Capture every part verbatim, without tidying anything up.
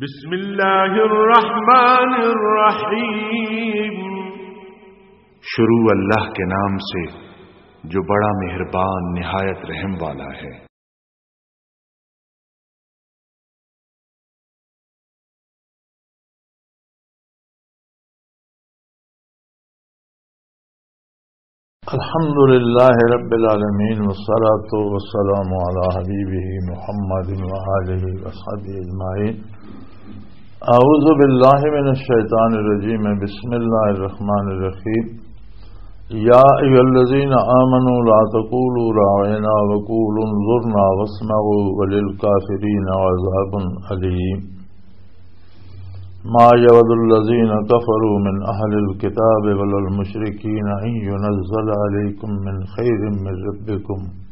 بسم اللہ الرحمن الرحیم۔ شروع اللہ کے نام سے، جو بڑا مہربان، نہایت رحم والا ہے۔ الحمد لله رب العالمين، والصلاة والسلام على حبيبه محمد وآله وصحبه أجمعين. أعوذ بالله من الشيطان الرجيم. بسم الله الرحمن الرحيم. يا أيها الذين آمنوا لا تقولوا راعنا وقولوا انظرنا واسمعوا وللكافرين عذاب أليم. ما يود الذين كفروا من أهل الكتاب ولا المشركين أن ينزل عليكم من خير من ربكم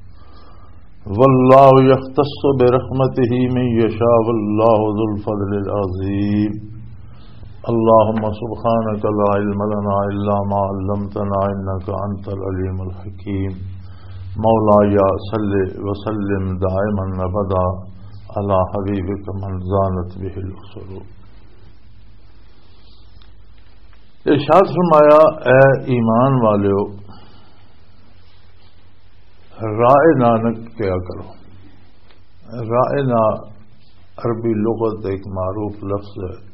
والله يختص برحمته من يشاء والله ذو الفضل العظيم. اللهم سبحانك لا علم لنا إلا ما علمتنا إنك أنت العليم الحكيم. مولاي صل وسلم دائما أبدا على حبيبك من زانت به الأسر. ارشاد فرمایا، اے ایمان والیو، رائے نہ نہ کیا کرو۔ رائے نہ عربی لغت ایک معروف لفظ ہے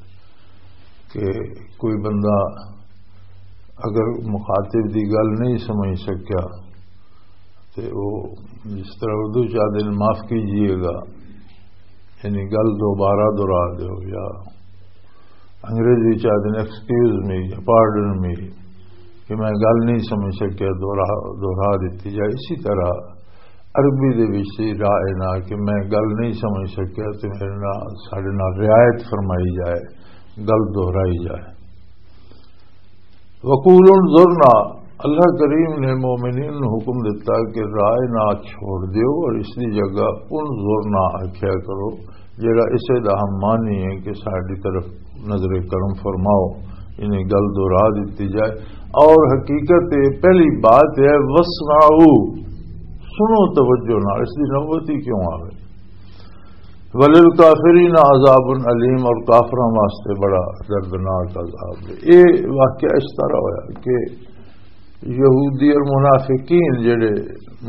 کہ کوئی بندہ اگر مخاطب دی گل نہیں سمجھ سکیا تے وہ جس طرح اردو چاہتے ہیں معاف کیجیے گا، یعنی گل دوبارہ دہرا دیو، یا انگریزی چاہتے ہیں ایکسکیوز می یا پارڈن می، کہ میں گل نہیں سمجھ سکیا، دوہرا دوہرا دیتی جائے۔ اسی طرح عربی دے وچ سی رائے نہ کہ میں گل نہیں سمجھ سکیا تے میرے نال، ساڈے نال رعایت فرمائی جائے، گل دہرائی جائے۔ وقول انظرنا، اللہ کریم نے مومنین نوں حکم دتا کہ رائے نہ چھوڑ دیو اور اس دی جگہ انظرنا آکھیا کرو، جڑا اسے دا ہم معنی ہے کہ ساڈی طرف نظر کرم فرماؤ، انہیں گل دہرا دتی جائے۔ اور حقیقت یہ پہلی بات ہے، وسمعوا، سنو توجہ نال، اس دی نوبت ہی کیوں آوے۔ وللکافرین عذاب علیم، اور کافراں واسطے بڑا دردناک عذاب ہے۔ یہ واقعہ اس طرح ہویا کہ یہودی اور منافقین جڑے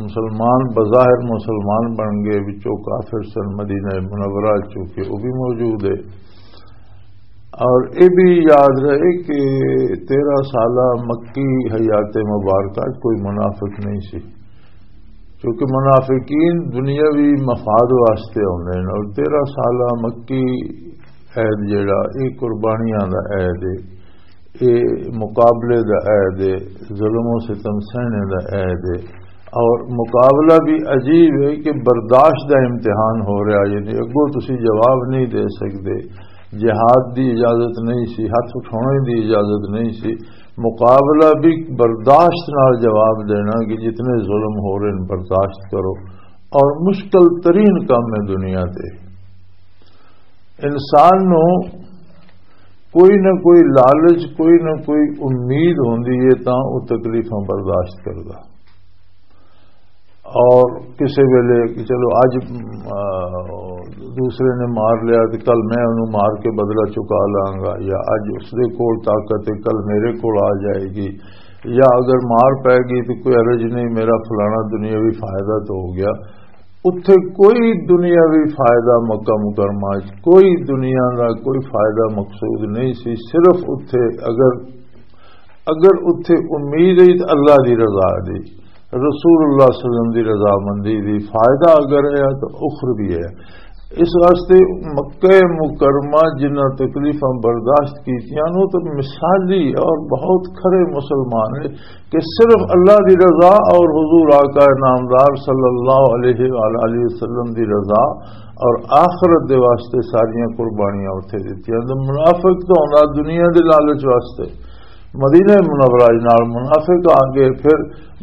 مسلمان، بظاہر مسلمان بن گئے، وچوں کافر سن، مدینہ منورہ چوں کہ وہ بھی موجود ہے۔ اور یہ بھی یاد رہے کہ تیرہ سالہ مکی حیات مبارکہ کوئی منافق نہیں سی، کیونکہ منافقین دنیاوی مفاد واسطے ہوندے نے، اور تیرہ سالہ مکی عید جڑا، یہ قربانیاں دا عید ہے، یہ مقابلے دا عید ہے، ظلم و ستم سہنے دا عید ہے۔ اور مقابلہ بھی عجیب ہے کہ برداشت دا امتحان ہو رہا، یعنی اگوں تسی جواب نہیں دے سکدے، جہاد دی اجازت نہیں سی، ہتھ اٹھانے دی اجازت نہیں سی، مقابلہ بھی برداشت نال جواب دینا کہ جتنے ظلم ہو رہے ہیں برداشت کرو۔ اور مشکل ترین کام ہے دنیا دے، انسان نو کوئی نہ کوئی لالچ، کوئی نہ کوئی امید ہوندی ہے، تاں او تکلیفاں برداشت کردا۔ اور کسے ویلے کہ چلو اج، آ، دوسرے نے مار لیا تے کل میں انہوں مار کے بدلہ چکا لاں گا، یا اج اس دے کول طاقت ہے، کل میرے کول آ جائے گی، یا اگر مار پے گئی تو کوئی حرج نہیں، میرا فلانا دنیاوی فائدہ تو ہو گیا۔ اتھے کوئی دنیاوی فائدہ مکہ مکرمہ وچ، کوئی دنیا دا کوئی فائدہ مقصود نہیں سی۔ صرف اتھے اگر، اگر اتھے امید ہے تو اللہ دی رضا دی، رسول اللہ صلی اللہ علیہ وسلم دی رضامندی دی، فائدہ اگر ہے تو اخروی ہے۔ اس واسطے مکہ مکرمہ جنہاں تکلیفاں برداشت کیتیاں نو تو مثالی اور بہت کھرے مسلمان ہے کہ صرف اللہ دی رضا اور حضور آقا نامدار صلی اللہ علیہ وآلہ وسلم دی رضا اور آخرت دے واسطے ساریاں قربانیاں اتھے دتیاں۔ تے منافق تو ہوندا دنیا دے لالچ واسطے، مدینہ منورہ نال منافق آ گئے، پھر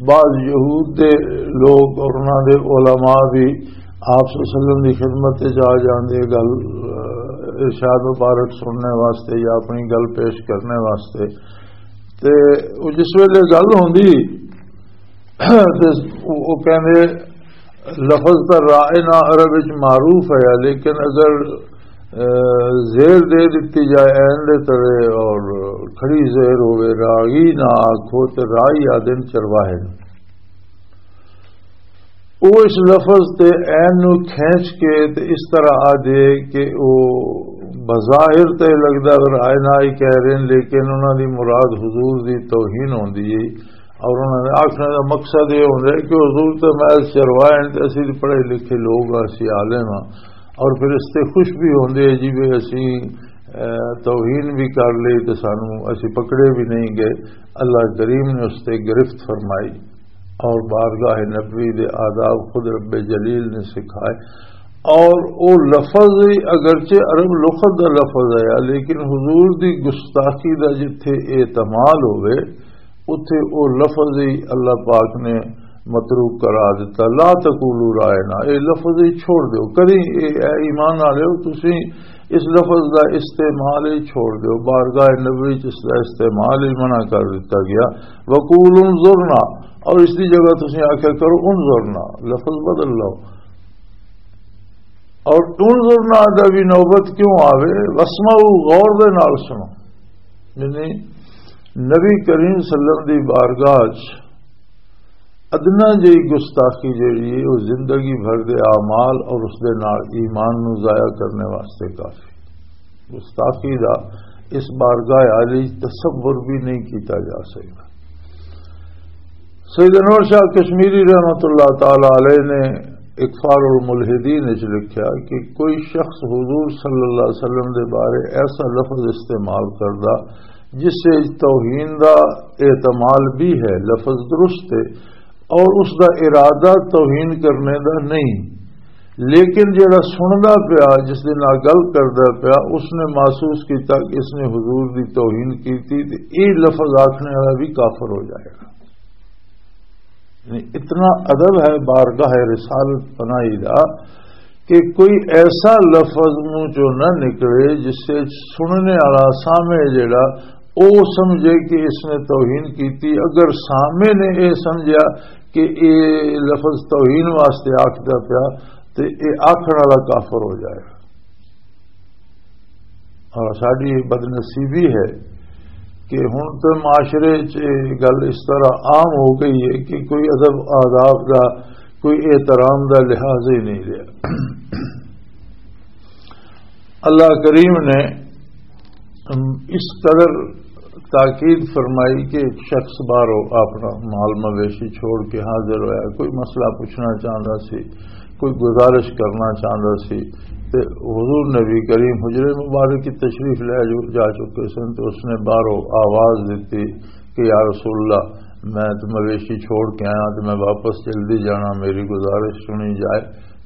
بعض یہود دے لوگ اور انہاں دے علماء بھی آپ صلی اللہ علیہ وسلم دی خدمت تے جا جاندے، گل، آ، ارشاد مبارک سننے واسطے یا اپنی گل پیش کرنے واسطے۔ تے او جس ویلے گل ہوندی تے او، او کہندے، لفظ تاں رائے نہ عرب وچ معروف ہے، لیکن اگر زیر دے دتی جائے این دے تلے، اور کھڑی زیر ہوئے، راغی نہ آکھو تے راہی آدن چرواہے نوں۔ او اس لفظ تے عین نو کھینچ کے تے اس طرح آ دے کہ او بظاہر تے لگدا رائے نہ ہی کہہ رہے ہیں، لیکن انہاں دی مراد حضور دی توہین ہوندی ہے۔ اور انہاں نے آکھنے دا مقصد یہ ہوندا ہے کہ حضور تے محض چروائے ہیں تے اسی تے پڑھے لکھے لوگ ہاں، اسی عالم ہاں، اور پھر اس تے خوش بھی ہوندے ہیں جی بھی اسی، اے، توہین بھی کر لی تے سانو اسی پکڑے بھی نہیں گئے۔ اللہ کریم نے اس تے گرفت فرمائی۔ اور بارگاہ نبوی دے آداب خود رب جلیل نے سکھائے۔ اور او لفظ ہی اگرچہ عرب لغت دا لفظ ہے، لیکن حضور دی گستاخی دا جتھے اعتمال ہوئے، اتھے او لفظ ہی اللہ پاک نے متروک قرار دیتا۔ "لا تقولوا راعنا"، اے لفظ ہی چھوڑ دیو۔ کدی اے، اے ایمان والے ہو، تسی اس لفظ دا استعمال ہی چھوڑ دیو۔ بارگاہ نبوی چ اس دا استعمال ہی منع کر دیتا گیا۔ "وقولوا انظرنا"، اور اس دی جگہ تسی آکھیا کرو "انظرنا"، لفظ بدل لو۔ اور "انظرنا" دا بھی نوبت کیوں آوے؟ "واسمعوا"، غور دے نال سنو۔ یعنی نبی کریم صلی اللہ علیہ وسلم دی بارگاہ چ ادنا جئی گستاخی جڑی ہے، وہ زندگی بھر دے اعمال اور اس دے نال ایمان نو ضائع کرنے واسطے کافی۔ گستاخی دا اس بارگاہ عالی تصور بھی نہیں کیتا جا سکتا۔ سید انور شاہ کشمیری رحمت اللہ تعالی علیہ نے اکفار الملحدین وچ لکھیا کہ کوئی شخص حضور صلی اللہ علیہ وسلم دے بارے ایسا لفظ استعمال کردا جس سے توہین دا احتمال بھی ہے، لفظ درست ہے، اور اس دا ارادہ توہین کرنے دا نہیں، لیکن جڑا سندا پیا، جس دے نال گل کردا پیا، اس نے محسوس کیتا کہ اس نے حضور دی توہین کیتی، تے اے لفظ آکھنے والا بھی کافر ہو جائے گا۔ یعنی اتنا ادب ہے بارگاہ رسالت پناہی دا کہ کوئی ایسا لفظ منہ چوں نہ نکلے جس سے سننے والا سامنے جڑا او سمجھے کہ اس نے توہین کیتی۔ اگر سامنے نے اے سمجھیا کہ اے لفظ توہین واسطے آکھدا پیا، تے اے آکھن والا کافر ہو جائے گا۔ اور ساڈی بدنصیبی ہے کہ ہن تے معاشرے چ اے گل اس طرح عام ہو گئی ہے کہ کوئی ادب آداب دا، کوئی احترام دا لحاظ ہی نہیں رہا۔ اللہ کریم نے اس قدر تاکید فرمائی کہ ایک شخص باہروں اپنا مال مویشی چھوڑ کے حاضر ہویا، کوئی مسئلہ پوچھنا چاہتا سی، کوئی گزارش کرنا چاہتا سی، تے حضور نبی کریم حجرے مبارک کی تشریف لے جو جا چکے سن، تو اس نے باہروں آواز دیتی کہ "یا رسول اللہ، میں تو مویشی چھوڑ کے آیا، تو میں واپس جلدی جانا، میری گزارش سنی جائے۔"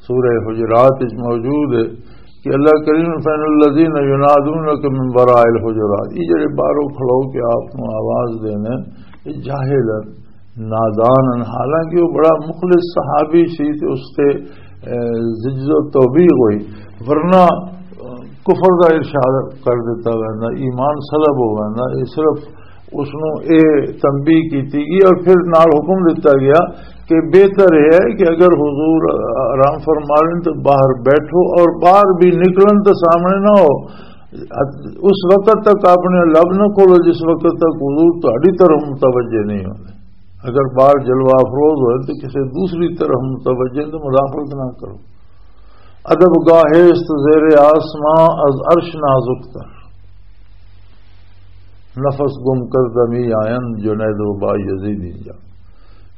سورہ حجرات وچ موجود ہے کہ اللہ کریم فرمائے، "الذین ینادونک من وراء الحجرات"، یہ جڑے باہروں کھلو کے آپ نو آواز دینے، یہ جاہل ہیں، نادان ہیں۔ حالانکہ وہ بڑا مخلص صحابی سی تے اس تے، اے، زجز و توبیخ ہوئی، ورنہ، اے، کفر دا ارشاد کر دیتا ویندا، ایمان سلب ہو ویندا۔ یہ صرف اس نو اے تنبیہ کیتی گئی اور پھر نال حکم دتا گیا کہ بہتر یہ ہے کہ اگر حضور آرام فرما لین تو باہر بیٹھو اور باہر بھی نکلن تو سامنے نہ ہو۔ اس وقت تک اپنے لب نہ کھولو جس وقت تک حضور تہاڈی طرف متوجہ نہیں ہوندے۔ اگر باہر جلوہ افروز ہوئے تو کسی دوسری طرف متوجہ تو مداخلت نہ کرو۔ ادب گاہ است زیر آسمان از عرش نازک تر، نفس گم کردمی آیند جنید و با یزید اینجا۔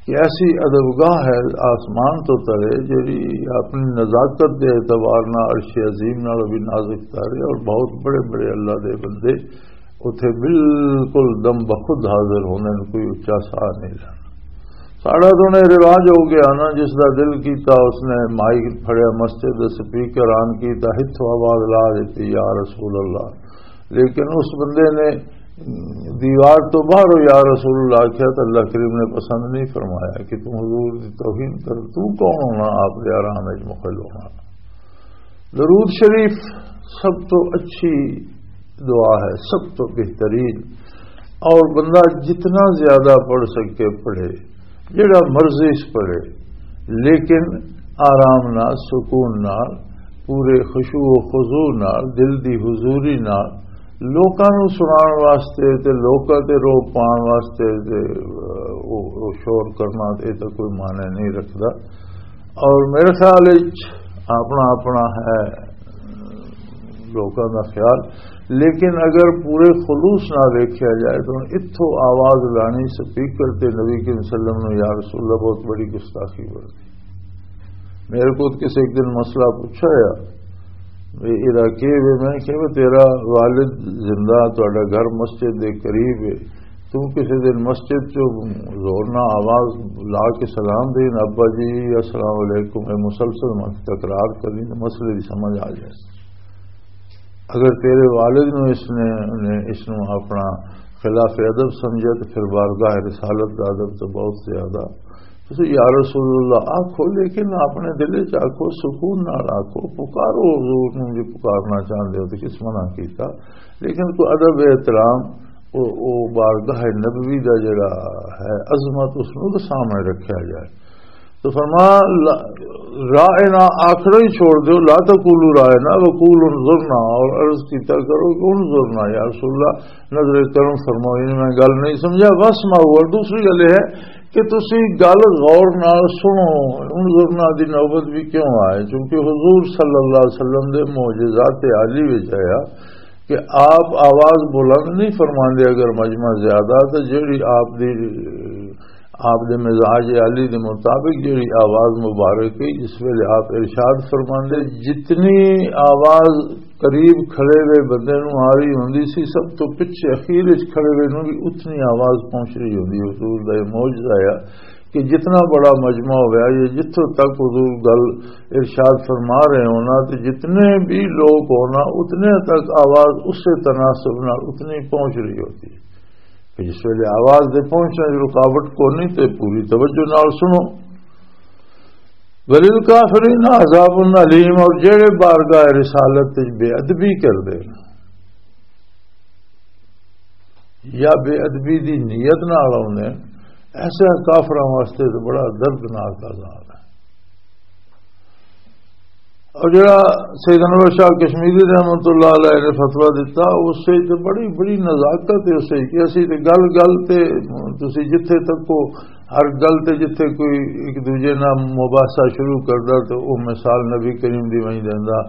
کہ ایسی ادب گاہ ہے آسمان تو تلے، جڑی اپنی نزاکت دے اعتبار نال عرش عظیم نال بھی نازک تر ہے، اور بہت بڑے بڑے اللہ دے بندے اتھے بالکل دم بخود حاضر ہوندے نے، کوئی اچا ساہ نہیں لینا۔ ساڈا تو نے رواج ہو گیا نا، جس دا دل کیتا اس نے مائیک پھڑیا، مسجد دے سپیکر آن کیتا، ہتھوں آواز لا دیتی، "یا رسول اللہ۔" لیکن اس بندے نے دیوار تو باہر "یا رسول اللہ" آخیا تو اللہ کریم نے پسند نہیں فرمایا کہ تم حضور دی توہین کر، تو کون ہونا آپ دے آرام وچ مخل ہونا؟ درود شریف سب تو اچھی دعا ہے، سب تو بہترین، اور بندہ جتنا زیادہ پڑھ سکے پڑھے، جڑا مرضی اس پڑھے، لیکن آرام نال، سکون نال، پورے خشوع و خضوع نال، دل دی حضوری نال لوکاں نوں سنان واسطے تے لوکاں تے روب پان واسطے تے، اہ، او، او شور کرنا، اے تاں کوئی معنی نہیں رکھدا۔ اور میرے خیال وچ اپنا اپنا ہے لوکاں دا خیال، لیکن اگر پورے خلوص نال ویکھیا جائے تو اتھوں آواز لانی سپیکر تے نبی کریم صلی اللہ علیہ وسلم نوں، یا رسول اللہ، بہت بڑی گستاخی بنتی۔ میرے کو کسی ایک دن مسئلہ پوچھا یا، "اے علاقے وے؟" میں کہا، "تیرا والد زندہ، تہاڈا گھر مسجد دے قریب ہے، تو کسی دن مسجد چوں زور نہ آواز لا کے سلام دین، 'ابا جی، السلام علیکم'، اے مسلسل مت تکرار کریں تو مسئلے دی سمجھ آ جائے۔ اگر تیرے والد نو اس نے، نے اس نو اپنا خلاف ادب سمجھا تو پھر بارگاہ رسالت دا ادب تو بہت زیادہ۔" تسی یا رسول اللہ آکھو، لیکن اپنے دل وچ آکھو، سکون نال آکھو، پکارو حضور نوں، جے پکارنا چاہندے ہو تے کس منع کیتا؟ لیکن کوئی ادب احترام، او، او بارگاہ نبوی دا جڑا ہے عظمت، اس نوں تے سامنے رکھیا جائے۔ تو فرما، لا-، رائنا آخر ہی چھوڑ دیو، "لا تقولوا رائنا وقولوا انظرنا"، اور عرض کیتا کرو کہ "انظرنا یا رسول اللہ، نظر کرم فرماؤ"، یعنی میں گل نہیں سمجھا، "واسمعوا"، اور دوسری گل یہ ہے کہ تسی گل غور نال سنو۔ انظرنا دی نوبت بھی کیوں آئے؟ چونکہ حضور صلی اللہ علیہ وسلم دے معجزات عالی وچ آیا کہ آپ آواز بلند نہیں فرماندے۔ اگر مجمع زیادہ تو جیڑی آپ دی، آپ دے مزاج عالی دے مطابق جیڑی آواز مبارک ہے، جس ویلے آپ ارشاد فرماندے، جتنی آواز قریب کھڑے ہوئے بندے نوں آ رہی ہوندی سی، سب تو پچھے اخیر وچ کھڑے ہوئے نوں بھی اتنی آواز پہنچ رہی ہوندی۔ حضور دا یہ معجزہ آیا کہ جتنا بڑا مجمع ہویا، یہ جتھوں تک حضور گل ارشاد فرما رہے ہونا، تے جتنے بھی لوگ ہونا، اتنے تک آواز اسے تناسب نال اتنی پہنچ رہی ہوتی ہے کہ جس ویلے آواز دے پہنچنے وچ رکاوٹ کونی، تے پوری توجہ نال سنو۔ "وللکافرین عذاب الیم"، اور جڑے بارگاہ رسالت وچ بے ادبی کردے نے یا بے ادبی دی نیت نال آوندے نے، ایسے کافراں واسطے تو بڑا دردناک عذاب ہے۔ اور جڑا سید انور شاہ کشمیری رحمت اللہ علیہ نے فتویٰ دتا، اس سے تے بڑی، بڑی نزاکت ہے اس سے کہ اسی تے گل گل تے، تسی جتھے تک کو ہر گل تے جتھے کوئی ایک دوجے نال مباحثہ شروع کردا تے او مثال نبی کریم دی وہیں دیندا،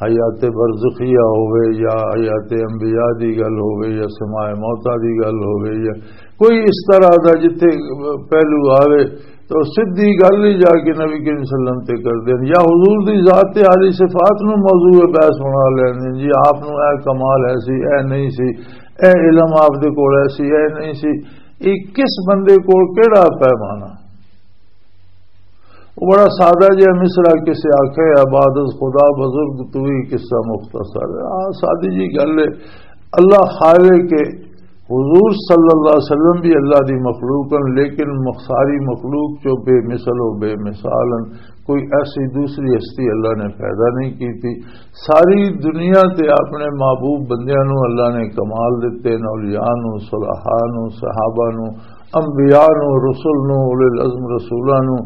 حیات برزخیہ ہووے یا حیات انبیاء دی گل ہووے یا سماع موتیٰ دی گل ہووے یا کوئی اس طرح دا جتھے پہلو آوے تو سدھی گل ہی جا کے نبی کریم صلی اللہ علیہ وسلم تے کر دین، یا حضور دی ذات عالی صفات نو موضوع بحث بنا لین، جی آپ نو اے کمال ہے سی، اے نہیں سی، اے علم آپ دے کول ہے سی، اے نہیں سی۔ یہ کس بندے کول کیڑا پیمانہ؟ وہ بڑا سادہ جہا مصرع کسے آکھے، "عباد از خدا بزرگ تو ہی قصہ مختصر ہے۔" آ، سادی جی گل ہے۔ اللہ خواہے کہ حضور صلی اللہ علیہ وسلم بھی اللہ دی مخلوق ہیں، لیکن مخ-، ساری مخلوق چو بے مثل و بے مثال ہیں۔ کوئی ایسی دوسری ہستی اللہ نے پیدا نہیں کی تھی۔ ساری دنیا تے اپنے محبوب بندیاں نو اللہ نے کمال دتے، نو اولیاء نو، صلحاء نو، صحابہ نو، انبیاء نو، رسول نو، اولے العزم رسولاں نو،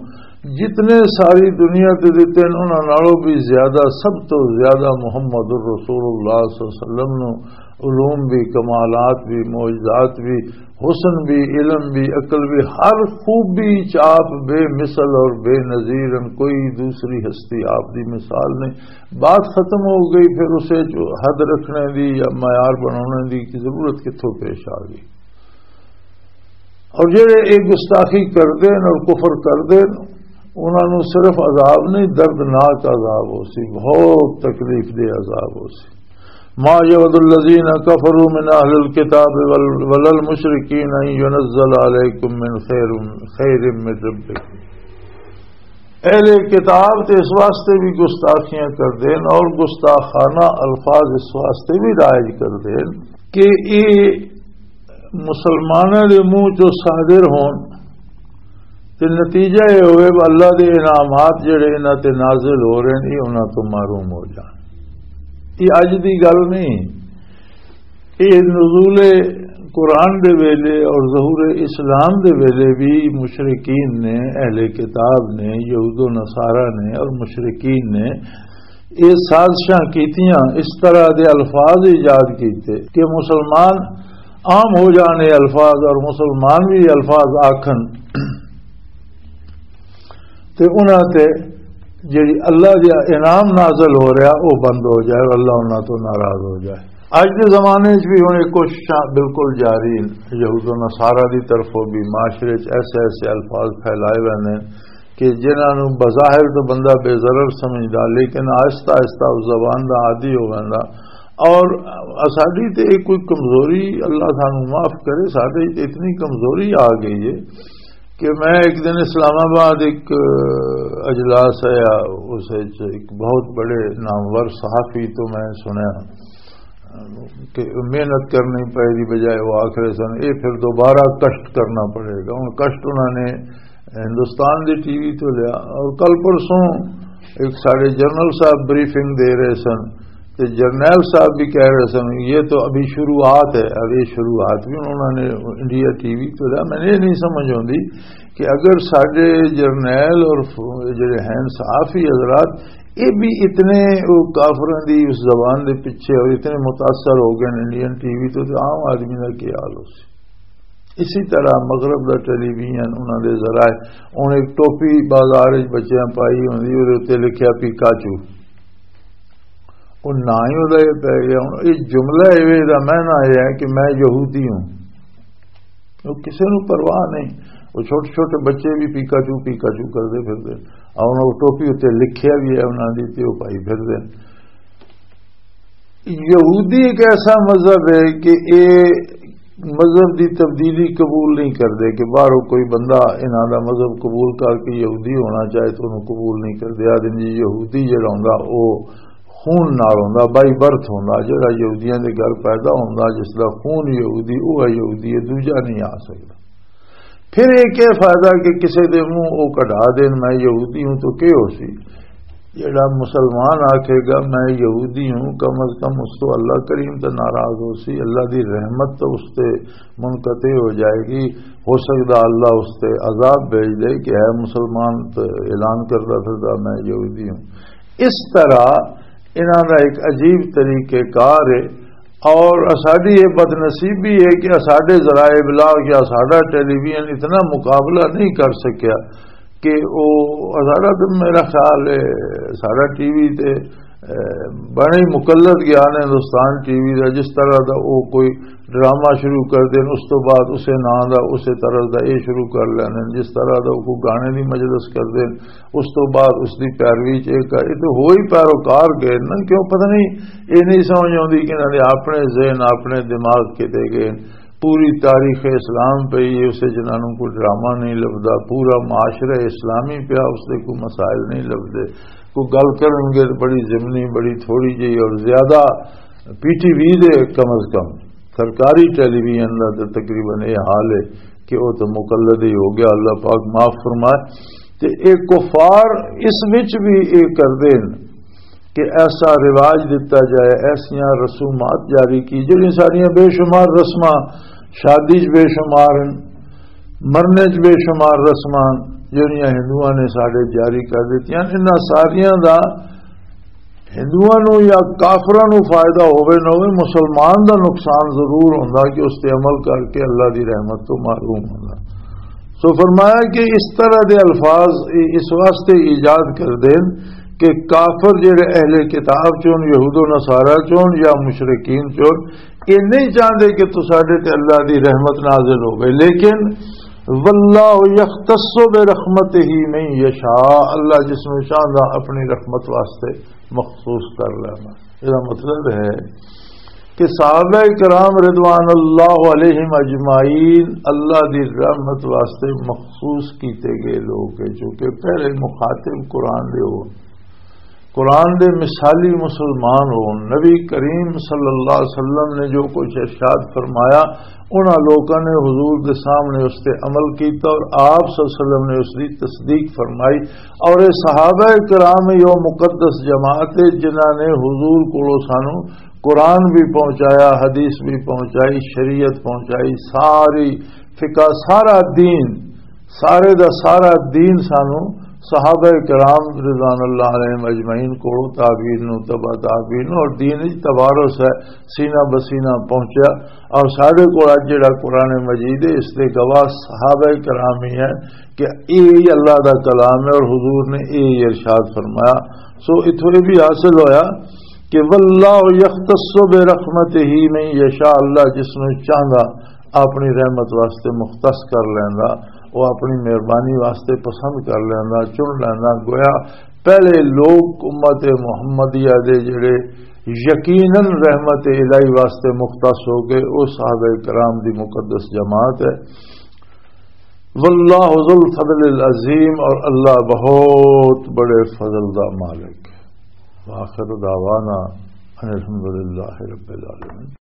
جتنے ساری دنیا تے دتے ہیں، انہاں نالوں بھی زیادہ، سب تو زیادہ محمد الرسول اللہ صلی اللہ علیہ وسلم نو علوم بھی، کمالات بھی، معجزات بھی، حسن بھی، علم بھی، عقل بھی، ہر خوبی چ آپ بے مثل اور بے نظیر ہیں۔ کوئی دوسری ہستی آپ دی مثال نہیں۔ بات ختم ہو گئی، پھر اسے جو حد رکھنے دی یا معیار بنانے دی کی ضرورت کتھوں پیش آ گئی؟ اور جڑے ایک گستاخی کردے نے اور کفر کردے نے، انہاں نوں صرف عذاب نہیں، دردناک عذاب ہو سی، بہت تکلیف دہ عذاب ہو سی۔ ما یود الذین کفروا من اہل الکتاب ول-، ولا المشرکین ان ینزل علیکم من خیر، خیر من ربکم۔ اہل کتاب تے اس واسطے بھی گستاخیاں کردے نے اور گستاخانہ الفاظ اس واسطے بھی رائج کردے نے کہ یہ مسلماناں دے منہ چوں صادر ہون تے نتیجہ یہ ہوئے کہ اللہ دے انعامات جڑے انہاں تے نازل ہو رہے ہیں، یہ انہاں تو محروم ہو جان۔ یہ اج دی گل نہیں، یہ نزول قرآن دے ویلے اور ظہور اسلام دے ویلے بھی مشرکین نے، اہل کتاب نے، یہود و نصارہ نے اور مشرکین نے یہ سازشاں کیتیاں، اس طرح دے الفاظ ایجاد کیتے کہ مسلمان عام ہو جانے الفاظ اور مسلمان بھی الفاظ آکھن تے انہاں تے جڑی اللہ دا انعام نازل ہو رہا، وہ بند ہو جائے اور اللہ انہاں تو ناراض ہو جائے۔ اج دے زمانے وچ بھی ہن یہ کوششاں بالکل جاری ہیں۔ یہود و نصارہ دی طرفوں بھی معاشرے وچ ایسے ایسے الفاظ پھیلائے ہوئے نے کہ جنہاں نوں بظاہر تو بندہ بے ضرر سمجھدا، لیکن آہستہ آہستہ اس زبان دا عادی ہو ویندا۔ اور ساڈی تے یہ کوئی کمزوری، اللہ سانوں معاف کرے، ساڈے تے اتنی کمزوری آ گئی ہے کہ میں ایک دن اسلام آباد ایک اجلاس ہے، اس وچ ایک بہت بڑے نامور صحافی تو میں سنیا کہ محنت کرنی پائے دی بجائے وہ آخر سن، یہ پھر دوبارہ کشٹ کرنا پڑے گا۔ ہن کشٹ انہوں نے ہندوستان دی ٹی وی تو لیا، اور کل پرسوں ایک ساڈے جنرل صاحب بریفنگ دے رہے سن، تے جرنیل صاحب بھی کہہ رہے سن، یہ تو ابھی شروعات ہے۔ اب یہ شروعات بھی انہوں نے انڈیا ٹی وی تو لیا۔ میں یہ نہیں سمجھ آتی کہ اگر ساڈے جرنیل اور ف-، جڑے ہیں صحافی حضرات، یہ بھی اتنے وہ کافروں دی اس زبان دے پیچھے اور اتنے متاثر ہو گئے انڈین ٹی وی تو، تو عام آدمی دا کی حال ہو سی؟ اسی طرح مغرب دا ٹیلی ویژن، انہاں دے ذرائع، ہن ایک ٹوپی بازار وچ بچیاں پائی ہوندی، اودے اُتے لکھیا پیکاچو۔ او نہ ہی اُدا یہ پی گیا۔ ہن یہ جملہ ایویں دا معنی یہ ہے کہ میں یہودی ہوں۔ وہ کسی نوں پرواہ نہیں۔ وہ چھوٹے چھوٹے بچے بھی پیکاچو، پیکاچو کردے پھردے۔ اور وہ ٹوپی اُتے لکھیا بھی ہے انہاں دی، تے وہ پائی پھردے۔ یہودی ایک ایسا مذہب ہے کہ یہ مذہب دی تبدیلی قبول نہیں کردے، کہ باہروں کوئی بندہ انہاں دا مذہب قبول کر کے یہودی ہونا چاہے تو انہوں قبول نہیں کردے۔ آدھے جی یہودی جڑا ہوندا او خون نال ہوندا، بائی برتھ ہوندا، جڑا یہودیاں دے گھر پیدا ہوندا، جس دا خون یہودی، او ہے یہودی، یہ دوجا نہیں آ سکدا۔ پھر یہ کیا فائدہ کہ کسے دے منہ او کڈھا دین، میں یہودی ہوں، تو کیا ہو سی؟ جڑا مسلمان آکھے گا میں یہودی ہوں، کم از کم اس تو اللہ کریم تو ناراض ہو سی، اللہ دی رحمت تو اس تے منقطع ہو جائے گی۔ ہو سکدا اللہ اس تے عذاب بھیج دے کہ ہے مسلمان تو اعلان کردا پھردا میں یہودی ہوں۔ اس طرح انہاں دا ایک عجیب طریقہ کار ہے۔ اور ساڈی یہ بدنصیبی ہے کہ ساڈے ذرائع ابلاغ یا ساڈا ٹیلی ویژن اتنا مقابلہ نہیں کر سکیا کہ او ساڈا تو میرا خیال ہے ساڈا ٹی وی تے، اے، بڑے ہی مقلد گیا نے ہندوستان ٹی وی دا، جس طرح دا او کوئی ڈرامہ شروع کر دین، اس تو بعد اسے نام دا، اسے طرح دا یہ شروع کر لینے، جس طرح دا او کوئی گانے دی مجلس کر دین، اس تو بعد اس دی پیروی چ ایک، یہ تو ہو ہی پیروکار گئے نا، کیوں پتہ نہیں، یہ نہیں سمجھ آتی کہ انہاں نے اپنے ذہن، اپنے دماغ کتے گئے۔ پوری تاریخ اسلام پہ یہ اسے جنہاں نوں کوئی ڈرامہ نہیں لبدا، پورا معاشرہ اسلامی پیا، اس دے کوئی مسائل نہیں لبدے۔ کوئی گل کرن گے تو بڑی ضمنی، بڑی تھوڑی جی اور زیادہ پی ٹی وی دے کم از کم سرکاری ٹیلی ویژن دا تے تقریباً یہ حال ہے کہ وہ تو مقلد ہی ہو گیا، اللہ پاک معاف فرمائے۔ تے اے کفار اس وچ بھی اے کردے نے کہ ایسا رواج دتا جائے، ایسیاں رسومات جاری کی، جڑیاں ساڈیاں بے شمار رسماں، شادی چ بے شمار ہیں، مرنے چ بے شمار رسماں جڑیاں ہندوؤں نے ساڈے جاری کر دتیاں، انہاں ساریاں دا ہندوؤں نوں یا کافراں نوں فائدہ ہووے نہ ہووے، مسلمان دا نقصان ضرور ہوندا کہ اس تے عمل کر کے اللہ دی رحمت تو محروم ہوندا۔ سو فرمایا کہ اس طرح دے الفاظ اس واسطے ایجاد کر دین کہ کافر جڑے اہل کتاب چون، یہود و نصارہ چون یا مشرکین چون، یہ نہیں چاہتے کہ تو ساڈے تے اللہ دی رحمت نازل ہووے، لیکن واللہ یختص برحمتہ من یشاء، اللہ جس نوں چاہندا اپنی رحمت واسطے مخصوص کر لینا۔ یہ مطلب ہے کہ صحابہ کرام رضوان اللہ علیہم اجمعین اللہ دی رحمت واسطے مخصوص کیتے گئے لوگ ہیں، چونکہ پہلے مخاطب قرآن دے ہو، قرآن دے مثالی مسلمان ہو۔ نبی کریم صلی اللہ علیہ وسلم نے جو کچھ ارشاد فرمایا، انہاں لوکاں نے حضور دے سامنے اس تے عمل کیتا اور آپ صلی اللہ علیہ وسلم نے اس دی تصدیق فرمائی۔ اور یہ صحابہ کرام یہ مقدس جماعت ہے جنہاں نے حضور کو سانو قرآن بھی پہنچایا، حدیث بھی پہنچائی، شریعت پہنچائی، ساری فقہ، سارا دین، سارے دا سارا دین سانو صحابہ کرام رضوان اللہ علیہم اجمعین کولوں تابعین نوں، تبع تابعین نوں، اور دین وچ تبارس ہے، سینہ بسینہ پہنچیا۔ اور ساڈے کول اج جڑا قرآن مجید ہے، اس دے گواہ صحابہ کرام ہی ہیں کہ اے ہی اللہ دا کلام ہے اور حضور نے اے ہی ارشاد فرمایا۔ سو اتھوں یہ بھی حاصل ہویا کہ واللہ یختص برحمتہ من یشاء، اللہ جس نوں چاہندا اپنی رحمت واسطے مختص کر لیندا، وہ اپنی مہربانی واسطے پسند کر لیندا، چن لیندا۔ گویا پہلے لوگ امت محمدیہ دے جڑے یقیناً رحمت الہی واسطے مختص ہو گئے، وہ صحابہ کرام دی مقدس جماعت ہے۔ واللہ ذو الفضل العظیم، اور اللہ بہت بڑے فضل دا مالک ہے۔ وآخر دعوانا ان الحمدللہ رب العالمین۔